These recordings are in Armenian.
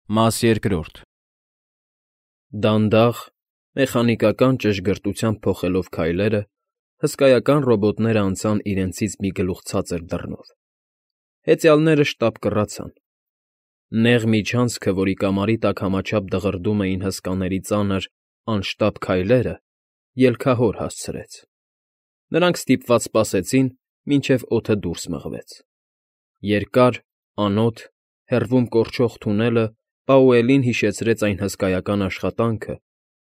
Մաս երկրորդ Դանդաղ, մեխանիկական ճշգրտությամբ փոխելով քայլերը, հսկայական ռոբոտներն անցան իրենցից մի գլուխ ցածր դռնով. հեծյալները շտապ կռացան. նեղ միջանցքը, որի կամարի տակ համաչափ դղրդում էին հսկաների ծանր, անշտապ քայլերը, ելքահոր հասցրեց. նրանք ստիպված սպասեցին, մինչև օդը դուրս մղվեց. երկար, անոտ, հեռվում կորչող թունելը Պաուելին հիշեցրեց այն հսկայական աշխատանքը,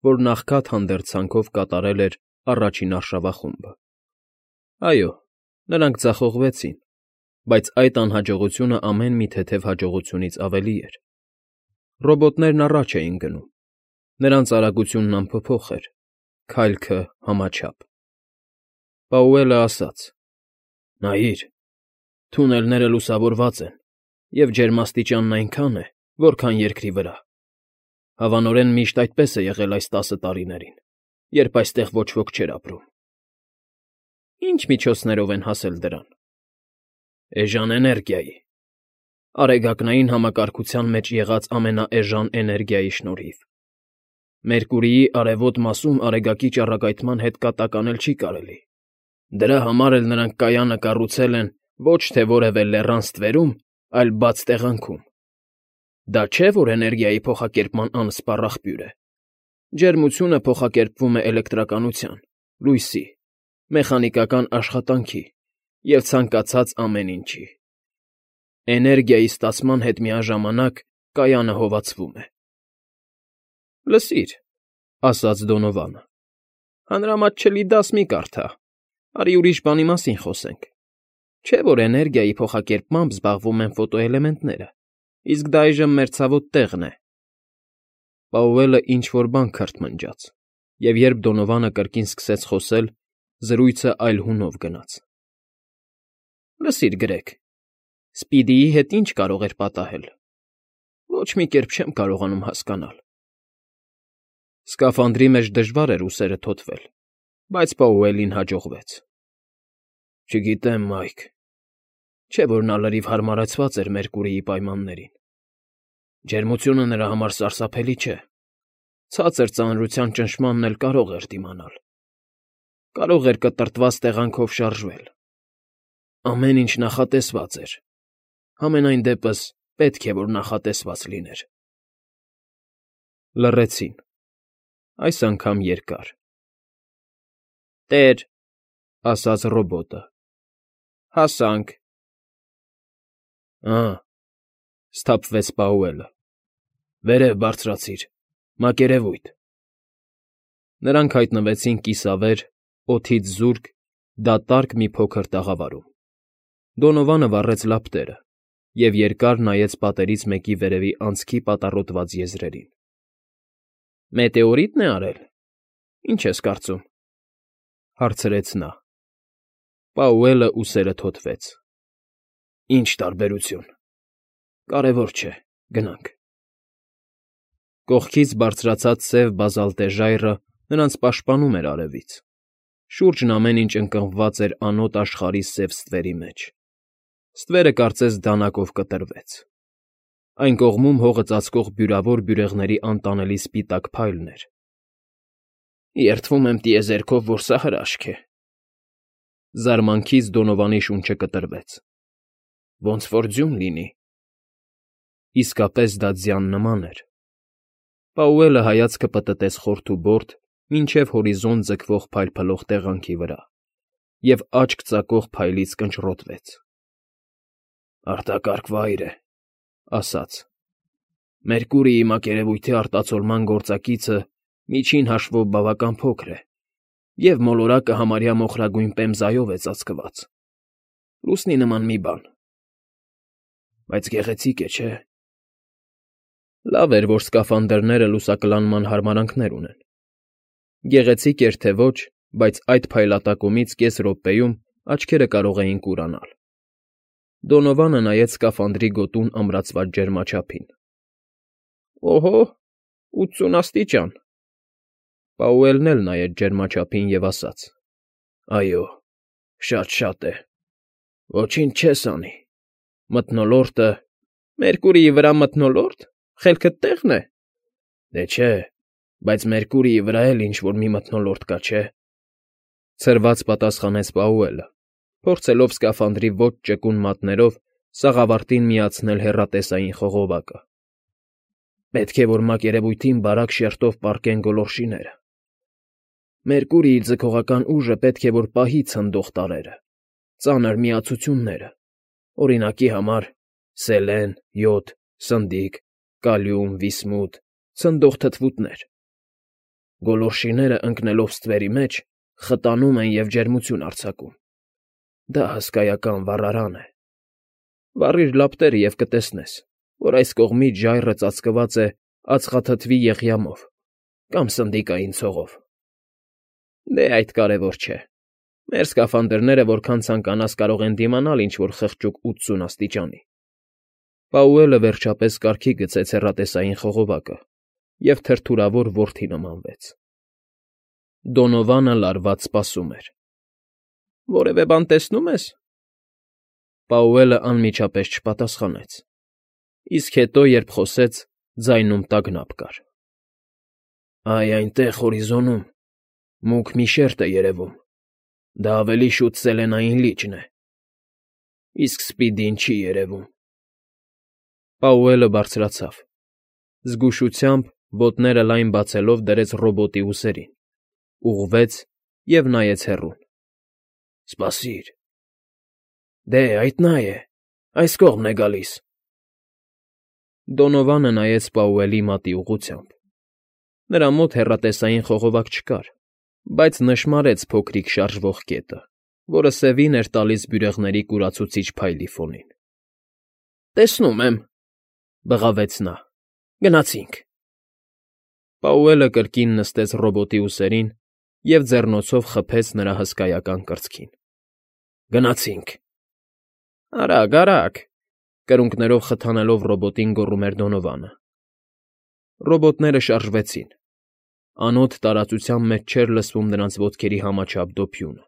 որ նախքան հանդերձանքով կատարել էր առաջին արշավախումբը. այո, նրանք ձախողվեցին, բայց այդ անհաջողությունը ամեն մի թեթև հաջողությունից ավելի էր. ռոբոտներն առաջ էին գնում, նրանց արագությունն անփոփոխ էր, քայլքը համաչափ. Պաուելը ասաց. նայիր, թունելները լուսավորված են, և ջերմաստիճանն այնքան է, որքան երկրի վրա. հավանորեն միշտ այդպես է եղել այս 10 տարիներին, երբ այստեղ ոչ ոք չէր ապրում։ Ինչ միջոցներով են հասել դրան։ Էժան էներգիայի, արեգակնային համակարգության մեջ եղած ամենաէժան էներգիայի շնորհիվ։ Մերկուրիի արևոտ մասում արեգակի ճառագայթման հետ կատականել չի կարելի։ Դրա համար էլ նրանք կայանը կառուցել են ոչ թե որևէ լեռան ստվերում, այլ բաց տեղանքում։ Դա չէ, որ էներգիայի փոխակերպման անսպառ աղբյուր է։ Ջերմությունը փոխակերպվում է էլեկտրականության, լույսի, մեխանիկական աշխատանքի և ցանկացած ամեն ինչի։ Էներգիայի ստացման հետ միաժամանակ կայանը հովացվում է։ Լսիր, ասաց Դոնովանը, հանրամատչելի դաս մի կարդա, արի ուրիշ բանի մասին խոսենք։ Չէ՞ որ էներգիայի փոխակերպմամբ զբաղվում են ֆոտոէլեմենտները, իսկ դա այժմ մեր ցավոտ տեղն է։ Պաուելը ինչ֊որ բան քրթմնջաց, և երբ Դոնովանը կրկին սկսեց խոսել, զրույցը այլ հունով գնաց. Լսիր, Գրեգ, Սպիդիի հետ ինչ կարող էր պատահել։ Ոչ մի կերպ չեմ կարողանում հասկանալ։ Սկաֆանդրի մեջ դժվար էր ուսերը թոթվել, բայց Պաուելին հաջողվեց։ Չգիտեմ, Մայք, չէ՞ որ նա լրիվ հարմարեցված էր Մերկուրիի պայմաններին։ Ջերմությունը նրա համար սարսափելի չէ։ Ցածր ծանրության ճնշմանն էլ կարող էր դիմանալ։ Կարող էր կտրտված տեղանքով շարժվել։ Ամեն ինչ նախատեսված էր։ Համենայն դեպս պետք է, որ նախատեսված լիներ։ Լռեցին, այս անգամ երկար։ Տեր, ասաց ռոբոտը, հասանք։ Սթափվեց Պաուելը, վերև բարձրացիր, մակերևույթ։ Նրանք հայտնվեցին կիսավեր, օդից զուրկ, դատարկ մի փոքր տաղավարում։ Դոնովանը վառեց լապտերը և երկար նայեց պատերից մեկի վերևի անցքի պատառոտված եզրերին։ Մետեորի՞տն է արել։ Ինչ ես կարծում, հարցրեց նա։ Պաուելը ուսերը թոթվեց։ Ինչ տարբերություն։ Կարևոր չէ, գնանք։ Կողքից բարձրացած սև բազալտե ժայռը նրանց պաշտպանում էր արևից։ Շուրջն ամեն ինչ ընկղմված էր անոտ աշխարհի սև ստվերի մեջ։ Ստվերը կարծես դանակով կտրվեց։ Այն կողմում հողը ծածկող բյուրավոր բյուրեղների անտանելի սպիտակ փայլն էր։ Երդվում եմ տիեզերքով, որ սա հրաշք է։ Զարմանքից Դոնովանի շունչը կտրվեց։ Ոնց որ ձյուն լինի։ Իսկապես դա ձյան նման էր։ Պաուելը հայացքը պտտեց խորթուբորդ, մինչև հորիզոն ձգվող փայլփլող տեղանքի վրա և աչք ծակող փայլից կնճռոտվեց։ Արտակարգ վայր է, ասաց։ Մերկուրիի մակերևույթի արտացոլման գործակիցը միջին հաշվով բավական փոքր է, և մոլորակը համարյա մոխրագույն պեմզայով է ծածկված։ Լուսնի նման մի բան։ Բայց գեղեցիկ է, չէ՞։ Լավ էր, որ սկաֆանդրները լուսակլանման հարմարանքներ ունեն։ Գեղեցիկ էր թե ոչ, բայց այդ փայլատակումից կես րոպեում աչքերը կարող էին կուրանալ։ Դոնովանը նայեց սկաֆանդրի գոտուն ամրացված ջերմաչափին։ Օհո, 80 աստիճան։ Պաուելն էլ նայեց ջերմաչափին և ասաց. Այո, շատ է։ Ոչինչ չես անի։ Մթնոլորտը… Մերկուրիի վրա մթնոլո՞րտ։ Խելքդ տեղն է։ Դե չէ, բայց Մերկուրիի վրա էլ ինչ-որ մի մթնոլորտ կա, չէ՞, ցրված պատասխանեց Պաուելը, փորձելով սկաֆանդրի ոչ ճկուն մատներով սաղավարտին միացնել հեռատեսային խողովակը։ Պետք է, որ մակերևույթին բարակ շերտով պառկեն գոլորշիները։ Մերկուրիի ձգողական ուժը պետք է, որ պահի ցնդող տարրերը, ծանր միացությունները, օրինակի համար սելեն, յոդ, սնդիկ, կալիում, վիսմութ, ցնդող թթվուտներ։ Գոլորշիները ընկնելով ստվերի մեջ խտանում են և ջերմություն արձակում։ Դա հսկայական վառարան է։ Վառիր լապտերը և կտեսնես, որ այս կողմից ժայռը ծածկված է ածխաթթվի եղյամով կամ սնդիկային ցողով։ Դե այդ կարևոր չէ։ Մեր սկաֆանդրները որքան ցանկանաս կարող են դիմանալ ինչ-որ խղճուկ 80 աստիճանի։ Պաուելը վերջապես կարգի գցեց հեռատեսային խողովակը և թրթուրավոր որդի նմանվեց։ Դոնովանը լարված սպասում էր։ Որևէ բան տեսնո՞ւմ ես։ Պաուելը անմիջապես չպատասխանեց, իսկ հետո, երբ խոսեց, ձայնում տագնապ կար։ Այ այնտեղ հորիզոնում մուգ մի շերտ է երևում։ Դա ավելի շուտ Սելենային լիճն է։ Իսկ Սպիդին չի երևում։ Պաուելը բարձրացավ։ Զգուշությամբ, ոտները լայն բացելով, դրեց ռոբոտի ուսերին, ուղղվեց և նայեց հեռուն։ Սպասիր։ Դե, այդ նա է, այս կողմն է գալիս։ Դոնովանը նայեց Պաուելի մատի ուղղությամբ։ Նրա մոտ հեռատեսային խողովակ չկար, բայց նշմարեց փոքրիկ շարժվող կետը, որը սևին էր տալիս բյուրեղների կուրացուցիչ փայլի ֆոնին։ Տեսնում եմ,֊ բղավեց նա։ Գնացինք։ Պաուելը կրկին նստեց ռոբոտի ուսերին և ձեռնոցով խփեց նրա հսկայական կրծքին։ Գնացինք։ Արագ, արագ,֊ կրունկներով խթանելով ռոբոտին գոռում էր Դոնովանը։ Ռոբոտները շարժվեցին։ Անոտ տարածության մեջ չէր լսվում նրանց ոտքերի համաչափ դոփյունը։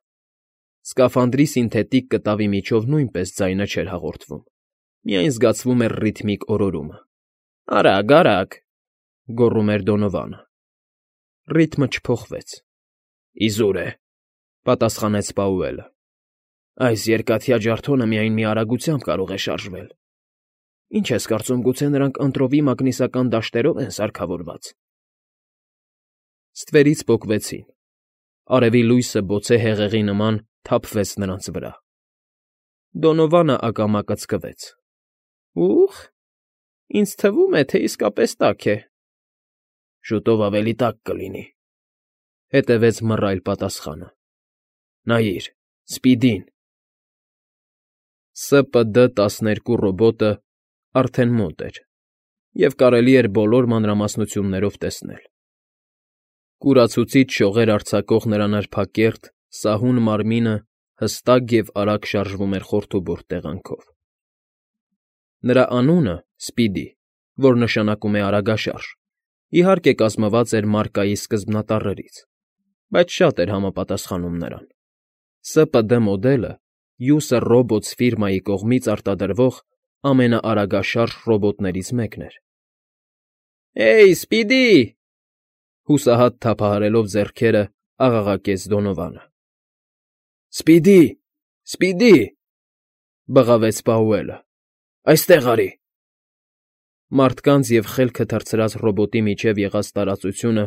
Սկաֆանդրի սինթետիկ կտավի միջով նույնպես ձայնը չէր հաղորդվում, միայն զգացվում էր ռիթմիկ օրորումը։ Արագ, արագ,֊ գոռում էր Դոնովանը։ Ռիթմը չփոխվեց։ Իզուր է,֊ պատասխանեց Պաուելը։ Այս երկաթյա ջարդոնը միայն մի արագությամբ կարող է շարժվել։ Ինչ ես կարծում, գուցե նրանք ընտրովի մագնիսական դաշտերով են սարքավորված։ Ստվերից պոկվեցին։ Արևի լույսը բոցե հեղեղի նման թափվեց նրանց վրա։ Դոնովանը ակամա կծկվեց։ Ուխ, ինձ թվում է, թե իսկապես տաք է։ Շուտով ավելի տաք կլինի,֊ հետևեց մռայլ պատասխանը։ Նայիր, Սպիդին։ ՍՊԴ-12 ռոբոտը արդեն մոտ էր, և կարելի էր բոլոր մանրամասնություններով տեսնել։ Կուրացուցիչ շողեր արձակող նրա նրբակերտ, սահուն մարմինը հստակ և արագ շարժվում էր խորդուբորտ տեղանքով։ Նրա անունը՝ Սպիդի, որ նշանակում է արագաշարժ, իհարկե կազմված էր մարկայի սկզբնատառերից, բայց շատ էր համապատասխանում նրան։ ՍՊԴ մոդելը User Robots ֆիրմայի կողմից արտադրվող ամենաարագաշարժ ռոբոտներից մեկն էր։ Էյ, Սպիդի,֊ հուսահատ թափահարելով ձեռքերը աղաղակեց Դոնովանը։ Սպիդի, Սպիդի,֊ բղավեց Պաուելը։ Այստեղ արի։ Մարդկանց և խելքը թռցրած ռոբոտի միջև եղած տարածությունը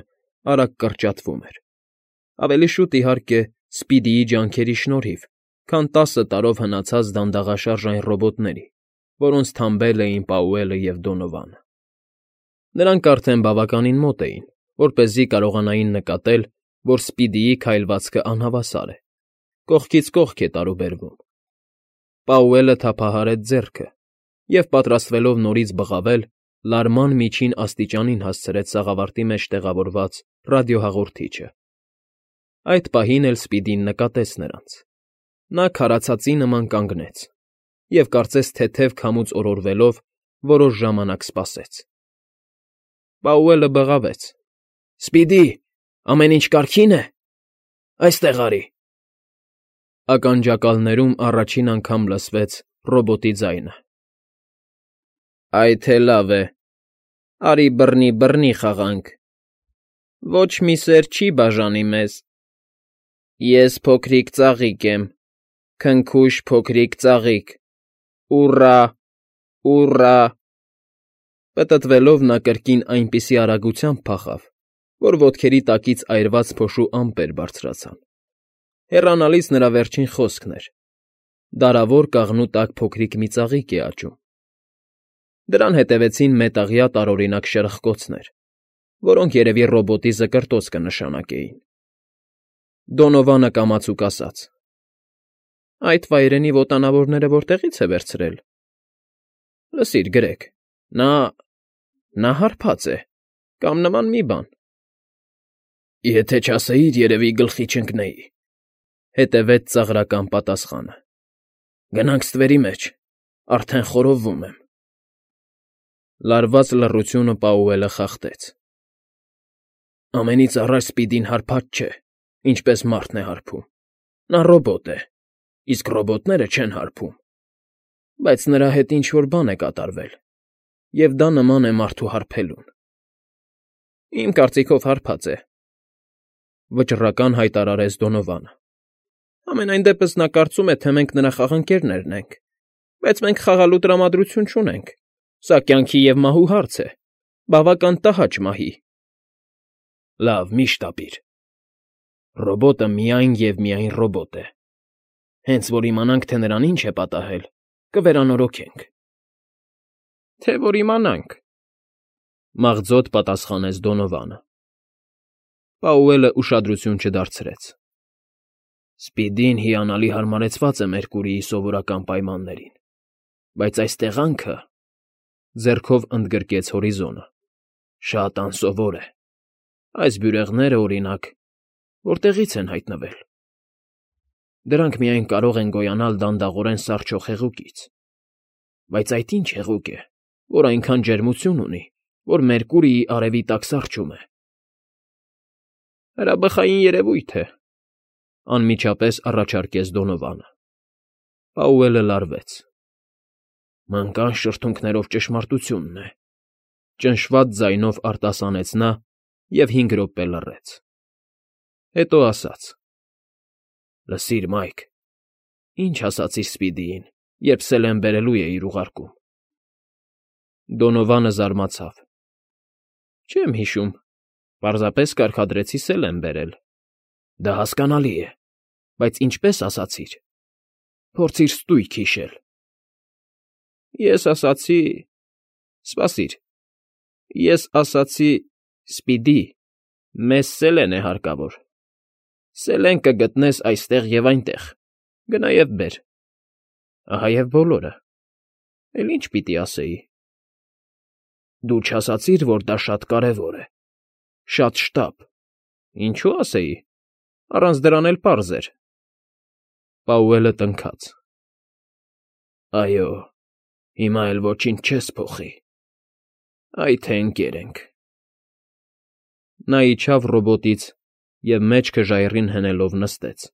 արագ կրճատվում էր։ Ավելի շուտ, իհարկե, Սպիդիի ջանքերի շնորհիվ, քան 10 տարով հնացած դանդաղաշարժ այն ռոբոտների, որոնց թամբել էին Պաուելը և Դոնովանը։ Նրանք արդեն բավականին մոտ էին, որպեսզի կարողանային նկատել, որ Սպիդիի քայլվածքը անհավասար է, կողքից կողք է տարուբերվում։ Պաուելը թափահարեց ձեռքը և, պատրաստվելով նորից բղավել, լարման միջին աստիճանին հասցրեց սաղավարտի մեջ տեղավորված ռադիոհաղորդիչը։ Այդ պահին էլ Սպիդին նկատեց նրանց։ Նա քարացածի նման կանգնեց և, կարծես թեթև քամուց օրորվելով, որոշ ժամանակ սպասեց։ Պաուելը բղավեց. Սպիդի, ամեն ինչ կարգի՞ն է։ Այստեղ արի։ Ականջակալներում առաջին անգամ լսվեց ռոբոտի ձայնը։ Այդ էլ լավ է,֊ Արի բռնի խաղանք։ Ոչ մի սեր չի բաժանի մեզ։ Ես փոքրիկ ծաղիկ եմ, քնքուշ փոքրիկ ծաղիկ։ Ուռա, ուռա։ Պտտվելով նա կրկին այնպիսի արագությամբ փախավ, որ ոտքերի տակից այրված փոշու ամպեր բարձրացան։ Հեռանալիս նրա վերջին խոսքն էր. դարավոր կաղնու տակ փոքրիկ մի ծաղիկ է աճում։ Դրան հետևեցին մետաղյա տարօրինակ շրխկոցներ, որոնք երևի ռոբոտի զկրտոց կնշանակեին։ Դոնովանը կամացուկ ասաց. Այդ վայրենի ոտանավորները որտեղի՞ց է վերցրել։ Լսիր, գրեք, նա հարբած է, կամ նման մի բան։ Եթե չասեիր, երևի գլխի չընկնեի, հետևեց ծաղրական պատասխանը։ Գնանք ստվերի մեջ, արդեն խորովվում եմ։ Լարված լռությունը Պաուելը խախտեց։ Ամենից առաջ Սպիդին հարբած չէ, ինչպես մարդն է հարբում։ Նա ռոբոտ է, իսկ ռոբոտները չեն հարբում։ Բայց նրա հետ ինչ֊որ բան է կատարվել, և դա նման է մարդու հարբելուն։ Իմ կարծիքով հարբած է, վճռական հայտարարեց Դոնովանը։ Համենայն դեպս նա կարծում է, թե մենք նրա խաղանկերներն ենք, բայց մենք խաղալու տրամադրություն չունենք։ Սա կյանքի և մահու հարց է, բավական տհաճ մահի։ Լավ, մի շտապիր։ Ռոբոտը միայն և միայն ռոբոտ է։ Հենց որ իմանանք, թե նրան ինչ է պատահել, կվերանորոգենք։ Թե որ իմանանք, մաղձոտ պատասխանեց Դոնովանը։ Պաուելը ուշադրություն չդարձրեց։ Սպիդին հիանալի հարմարեցված է Մերկուրիի սովորական պայմաններին, բայց այս տեղանքը, ձեռքով ընդգրկեց հորիզոնը, շատ անսովոր է։ Այս բյուրեղները, օրինակ, որտեղից են հայտնվել։ Դրանք միայն կարող են գոյանալ դանդաղորեն սառչող հեղուկից։ Բայց այդ ինչ հեղուկ է, որ այնքան ջերմություն ունի, որ Մերկուրիի արևի տակ սառչում է։ Հրաբխային երևույթ է, անմիջապես առաջարկեց Դոնովանը։ Պաուելը լարվեց։ Մանկան շրթունքներով ճշմարտությունն է, ճնշված ձայնով արտասանեց նա և 5 րոպե լռեց։ Հետո ասաց. Լսիր, Մայք, ինչ ասացիր Սպիդիին, երբ Սելեն բերելու էիր ուղարկում։ Դոնովանը զարմացավ։ Չեմ հիշում, պարզապես կարգադրեցի Սելեն բերել։ Դա հասկանալի է, բայց ինչպես ասացիր։ Փորձիր ստույգ հիշել։ Ես ասացի… Սպասիր, ես ասացի Սպիդի, մեզ Սելեն է հարկավոր։ Սելեն կգտնես այստեղ և այնտեղ, գնա և բեր։ Ահա և բոլորը։ Էլ ինչ պիտի ասեի։ Դու չասացիր, որ դա շատ կարևոր է, շատ շտապ։ Ինչու ասեի, առանց դրան էլ պարզ էր։ Պաուելը տնքաց։ Այո, հիմա էլ ոչինչ չես փոխի։ Այ թե ընկեր ենք։ Նա իջավ ռոբոտից և մեջքը ժայռին հենելով նստեց։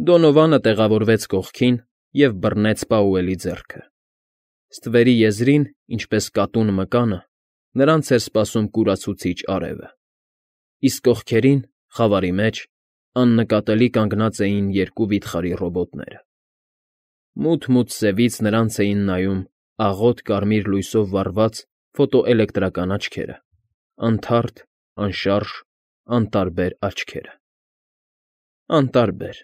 Դոնովանը տեղավորվեց կողքին և բռնեց Պաուելի ձեռքը։ Ստվերի եզրին, ինչպես կատուն մկանը, նրանց էր սպասում կուրացուցիչ արևը, իսկ կողքերին, խավարի մեջ, աննկատելի կանգնած էին 2 վիթխարի ռոբոտները։ Մութ սևից նրանց էին նայում աղոտ կարմիր լույսով վառված ֆոտոէլեկտրական աչքերը, անթարթ, անշարժ, անտարբեր աչքերը։ Անտարբեր…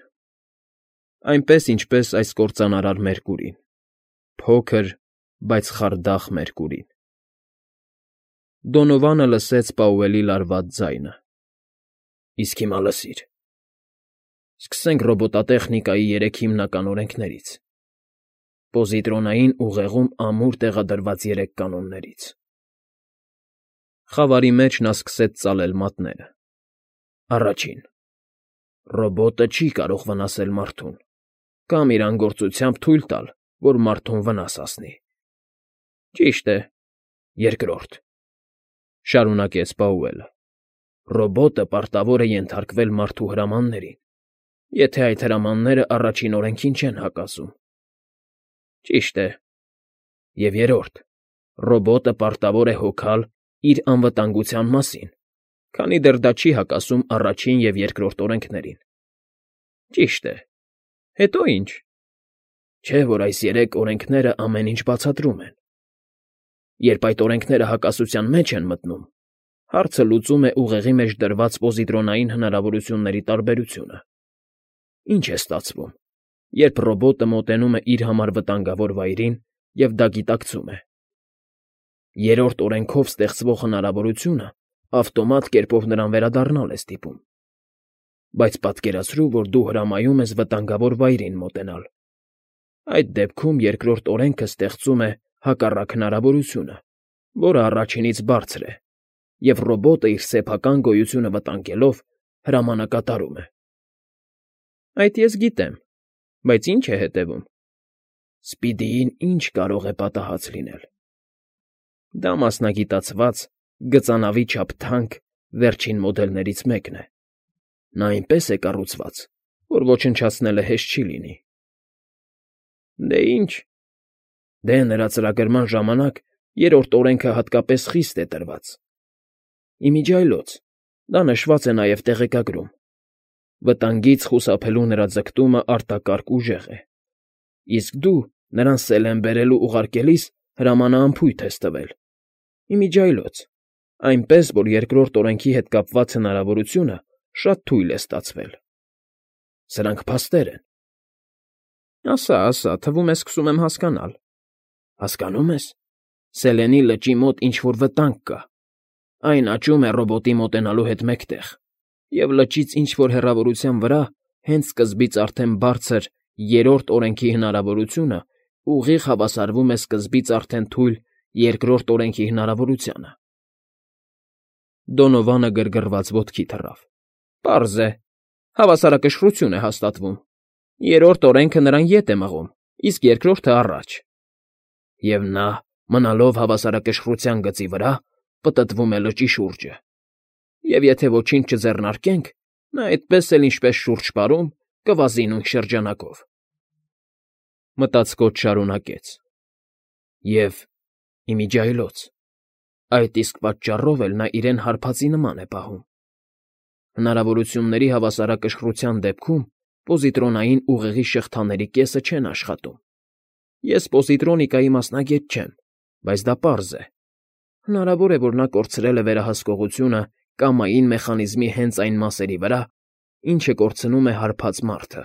Այնպես, ինչպես այս կործանարար Մերկուրին, փոքր, բայց խարդախ Մերկուրին։ Դոնովանը լսեց Պաուելի լարված ձայնը։ Իսկ հիմա լսիր։ Սկսենք ռոբոտատեխնիկայի 3 հիմնական օրենքներից, պոզիտրոնային ուղեղում ամուր տեղադրված 3 կանոններից։ Խավարի մեջ նա սկսեց ծալել մատները։ Առաջին. ռոբոտը չի կարող վնասել մարդուն կամ իր անգործությամբ թույլ տալ, որ մարդուն վնաս հասնի։ Ճիշտ է։ Երկրորդ. շարունակեց Պաուելը. ռոբոտը պարտավոր է ենթարկվել մարդու հրամաններին, եթե այդ հրամանները առաջին օրենքին չեն հակասում։ Ճիշտ է։ Եվ երրորդ. Ռոբոտը պարտավոր է հոգալ իր անվտանգության մասին, քանի դեռ դա չի հակասում առաջին և երկրորդ օրենքներին։ Ճիշտ է։ Հետո ինչ։ Չէ՞ որ այս երեք օրենքները ամեն ինչ բացատրում են։ Երբ այդ օրենքները հակասության մեջ են մտնում, հարցը լուծում է ուղեղի մեջ դրված պոզիտրոնային հնարավորությունների տարբերությունը։ Ինչ է ստացվում, երբ ռոբոտը մոտենում է իր համար վտանգավոր վայրին և դա գիտակցում է։ Երրորդ օրենքով ստեղծվող հնարավորությունը ավտոմատ կերպով նրան վերադառնալ է ստիպում։ Բայց պատկերացրու, որ դու հրամայում ես վտանգավոր վայրին մոտենալ։ Այդ դեպքում երկրորդ օրենքը ստեղծում է հակառակ հնարավորությունը, որը առաջինից բարձր է, և ռոբոտը իր սեփական գոյությունը վտանգելով հրամանակատարում է։ Այդ ես գիտեմ, բայց ի՞նչ է հետևում։ Սպիդիին ի՞նչ կարող է պատահած լինել։ Դա մասնագիտացված, գծանավի չափ թանկ վերջին մոդելներից մեկն է։ Նա այնպես է կառուցված, որ ոչնչացնելը հեշտ չի լինի։ Դե ինչ։ Դե նրա ծրագրման ժամանակ երրորդ օրենքը հատկապես խիստ է տրված։ Իմիջիայլոց, դա նշված է նաև տեղեկագրում։ Վտանգից խուսափելու նրա ձգտումը արտակարգ ուժեղ է։ Իսկ դու նրան սելեն բերելու ուղարկելիս հրամանաամփույթ ես տվել։ Իմիջիայլոց, այնպես, որ երկրորդ օրենքի հետ կապված հնարավորությունը շատ թույլ է ստացվել։ Սրանք փաստեր են։ Ասա, թվում է սկսում եմ հասկանալ։ Հասկանո՞ւմ ես։ Սելենի լճի մոտ ինչ֊որ վտանգ կա։ Այն աճում է ռոբոտի մոտենալու հետ մեկտեղ, և լճից ինչ֊որ հեռավորության վրա հենց սկզբից արդեն բարձր երրորդ օրենքի հնարավորությունը ուղիղ հավասարվում է սկզբից արդեն թույլ երկրորդ օրենքի հնարավորությանը։ Դոնովանը գրգռված ոտքի թռավ։ Պարզ է, հավասարակշռություն է հաստատվում։ Երրորդ օրենքը նրան ետ է մղում, իսկ երկրորդը՝ առաջ։ Եվ նա, մնալով հավասարակշռության գծի վրա, պտտվում է լճի շուրջը։ Եվ եթե ոչինչ չձեռնարկենք, նա այդպես էլ ինչպես շուրջ պարում, կվազի նույն շրջանակով։ Մտածկոտ շարունակեց. Եվ, իմիջիայլոց, այդ իսկ պատճառով էլ նա իրեն հարբածի նման է պահում։ Հնարավորությունների հավասարակշռության դեպքում պոզիտրոնային ուղեղի շղթաների կեսը չեն աշխատում։ Ես պոզիտրոնիկայի մասնագետ չեմ, բայց դա պարզ է։ Հնարավոր է, որ նա կորցրել է վերահսկողությունը կամային մեխանիզմի հենց այն մասերի վրա, ինչը կորցնում է հարբած մարդը։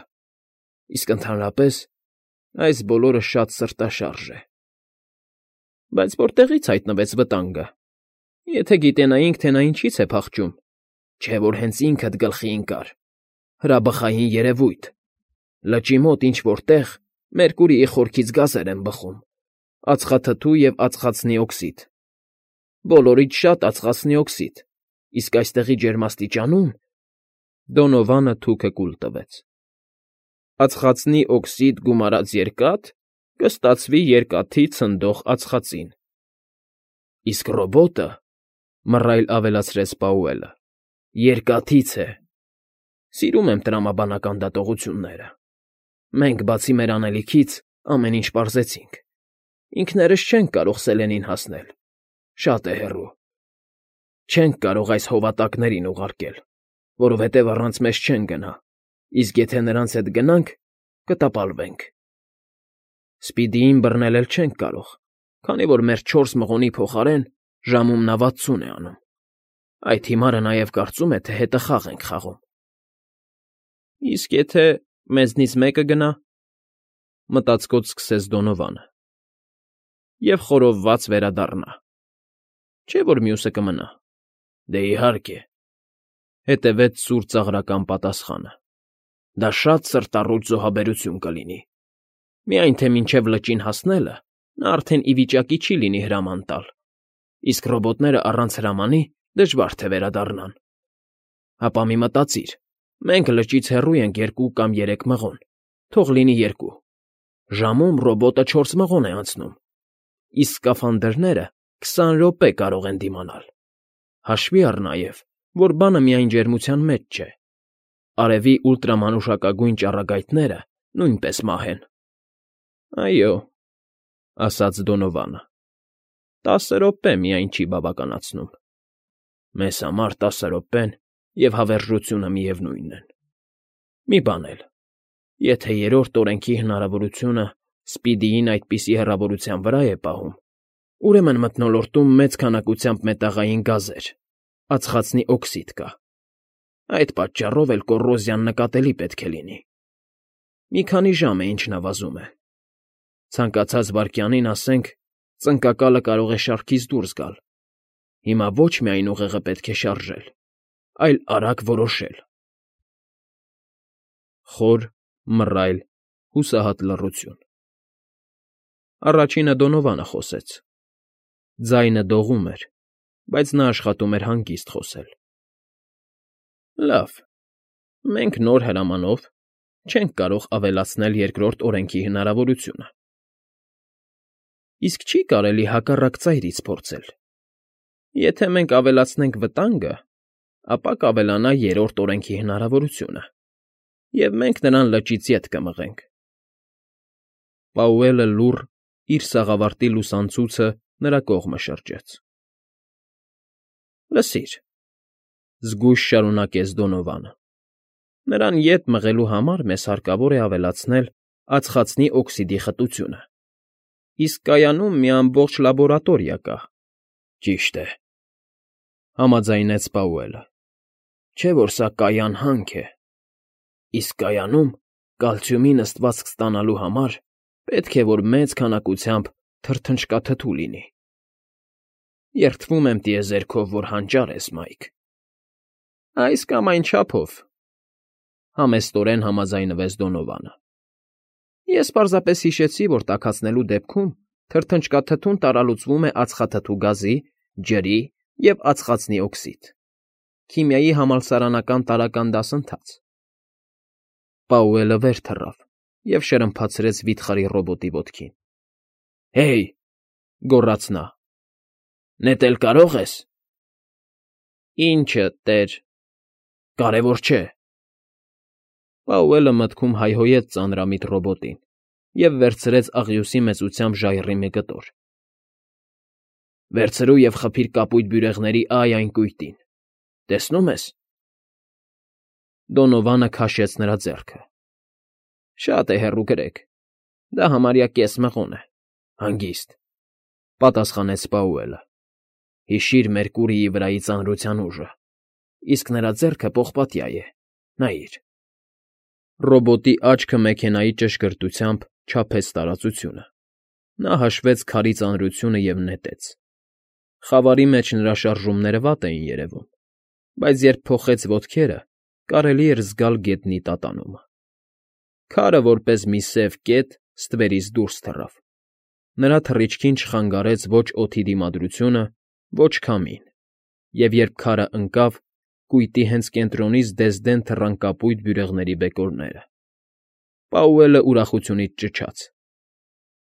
Իսկ ընդհանրապես այս բոլորը շատ սրտաշարժ է։ Բայց որտեղի՞ց հայտնվեց վտանգը։ Եթե գիտենայինք, թե նա ինչից է փախչում, չէ՞ որ հենց ինքդ գլխի ընկար։ Հրաբխային երևույթ։ Լճի մոտ ինչ֊որ տեղ Մերկուրիի խորքից գազեր են բխում, ածխաթթու և ածխածնի օքսիդ։ Բոլորից շատ ածխածնի օքսիդ, իսկ այստեղի ջերմաստիճանում… Դոնովանը թուքը կուլ տվեց։ Ածխածնի օքսիդ գումարած երկաթ կստացվի երկաթի ցնդող ածխածին։ Իսկ ռոբոտը, մռայլ ավելացրեց Պաուելը, երկաթից է։ Սիրում եմ տրամաբանական դատողությունները։ Մենք, բացի մեր անելիքից, ամեն ինչ պարզեցինք։ Ինքներս չենք կարող Սելենին հասնել։ Շատ է հեռու։ Չենք կարող այս հովատակներին ուղարկել, որովհետև առանց մեզ չեն գնա, իսկ եթե նրանց հետ գնանք, կտապալվենք։ Սպիդիին բռնել էլ չենք կարող, քանի որ մեր 4 մղոնի փոխարեն ժամում նա 60 է անում։ Այդ հիմարը նաև կարծում է, թե հետը խաղ ենք խաղում։ Իսկ եթե մեզնից մեկը գնա, մտածկոտ սկսեց Դոնովանը, և խորովված վերադառնա, չէ՞ որ մյուսը կմնա։ Դե իհարկե, հետևեց սուր ծաղրական պատասխանը։ Դա շատ սրտառուչ զոհաբերություն կլինի։ Միայն թե մինչև լճին հասնելը նա արդեն ի վիճակի չի լինի հրաման տալ, իսկ ռոբոտները առանց հրամանի դժվար թե վերադառնան։ Հապա մի մտածիր, մենք լճից հեռու ենք 2 կամ 3 մղոն, թող լինի 2։ Ժամում ռոբոտը 4 մղոն է անցնում, իսկ սկաֆանդրները 20 րոպե կարող են դիմանալ։ Հաշվի առ նաև, որ բանը միայն ջերմության մեջ չէ։ Արևի ուլտրամանուշակագույն ճառագայթները նույնպես մահ են։ Այո, ասաց Դոնովանը։ 10 րոպե միայն չի բավականացնում։ Մեզ համար 10 րոպեն և հավերժությունը միևնույնն են։ Մի բան էլ. եթե երրորդ օրենքի հնարավորությունը Սպիդիին այդպիսի հեռավորության վրա է պահում, ուրեմն մթնոլորտում մեծ քանակությամբ մետաղային գազեր, ածխածնի օքսիդ կա։ Այդ պատճառով էլ կոռոզիան նկատելի պետք է լինի։ Մի քանի ժամ է, ինչ նվազում է։ Ցանկացած վայրկյանին, ասենք, ծնկակալը կարող է շարքից դուրս գալ։ Հիմա ոչ միայն ուղեղը պետք է շարժել, այլ արագ որոշել։ Խոր, մռայլ, հուսահատ լռություն։ Առաջինը Դոնովանը խոսեց։ Ձայնը դողում էր, բայց նա աշխատում էր հանգիստ խոսել։ Լավ, մենք նոր հրամանով չենք կարող ավելացնել երկրորդ օրենքի հնարավորությունը։ Իսկ չի՞ կարելի հակառակ ծայրից փորձել։ Եթե մենք ավելացնենք վտանգը, ապա կավելանա երրորդ օրենքի հնարավորությունը, և մենք նրան լճից ետ կմղենք։ Պաուելը լուռ իր սաղավարտի լուսանցույցը նրա կողմը շրջեց։ Լսիր,֊ զգույշ շարունակեց Դոնովանը,֊ նրան ետ մղելու համար մեզ հարկավոր է ավելացնել ածխածնի օքսիդի խտությունը, իսկ կայանում մի ամբողջ լաբորատորիա կա։ Ճիշտ է,֊ համաձայնեց Պաուելը,֊ չէ՞ որ սա կայան հանք է, իսկ կայանում կալցիումի նստվածք ստանալու համար պետք է, որ մեծ քանակությամբ թրթնջկաթթու լինի։ Երդվում եմ տիեզերքով, որ հանճար ես, Մայք։ Այս կամ այն չափով,֊ համեստորեն համաձայնվեց Դոնովանը։ Ես պարզապես հիշեցի, որ տաքացնելու դեպքում թրթնջկաթթուն տարալուծվում է ածխաթթու գազի, ջրի և ածխածնի օքսիդ։ Քիմիայի համալսարանական տարրական դասընթաց։ Պաուելը վեր թռավ և շրմփացրեց վիթխարի ռոբոտի ոտքին։ Հեյ,֊ գոռաց նա,֊ նետել կարո՞ղ ես։ Ի՞նչը, տեր։ Կարևոր չէ։ Պաուելը մտքում հայհոյեց ծանրամիտ ռոբոտին և վերցրեց աղյուսի մեծությամբ ժայռի մի կտոր։ Վերցրու և խփիր կապույտ բյուրեղների ай այն կույտին։ Տեսնո՞ւմ ես։ Դոնովանը քաշեց նրա ձեռքը։ Շատ է հեռու գրեք։ Դա համարյա կես մղոն է։ Հանգիստ,֊ պատասխանեց Պաուելը։ Հիշիր Մերկուրիի վրայի ծանրության ուժը, իսկ նրա ձեռքը պողպատյա է, նայիր։ Ռոբոտի աչքը մեքենայի ճշգրտությամբ չափեց տարածությունը։ Նա հաշվեց քարի ծանրությունը և նետեց։ Խավարի մեջ նրա շարժումները վատ էին երևում, բայց երբ փոխեց ոտքերը, կարելի էր զգալ գետնի տատանումը։ Քարը, որպես մի սև կետ, ստվերից դուրս թռավ։ Նրա թռիչքին չխանգարեց ոչ օդի դիմադրությունը, ոչ քամին, և երբ քարը ընկավ, կույտի հենց կենտրոնից դեզդեն թռան կապույտ բյուրեղների բեկորները։ Պաուելը ուրախությունից ճչաց.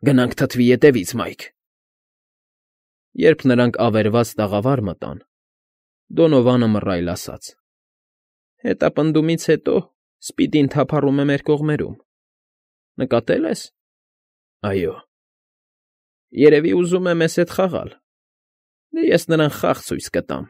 Գնանք թթվի ետևից, Մայք։ Երբ նրանք ավերված տաղավար մտան, Դոնովանը մռայլ ասաց. Հետապնդումից հետո Սպիդին թափառում է մեր կողմերում։ Նկատե՞լ ես։ Այո։ Երևի ուզում է մեզ հետ խաղալ։ Դե ես նրան խաղ ցույց կտամ։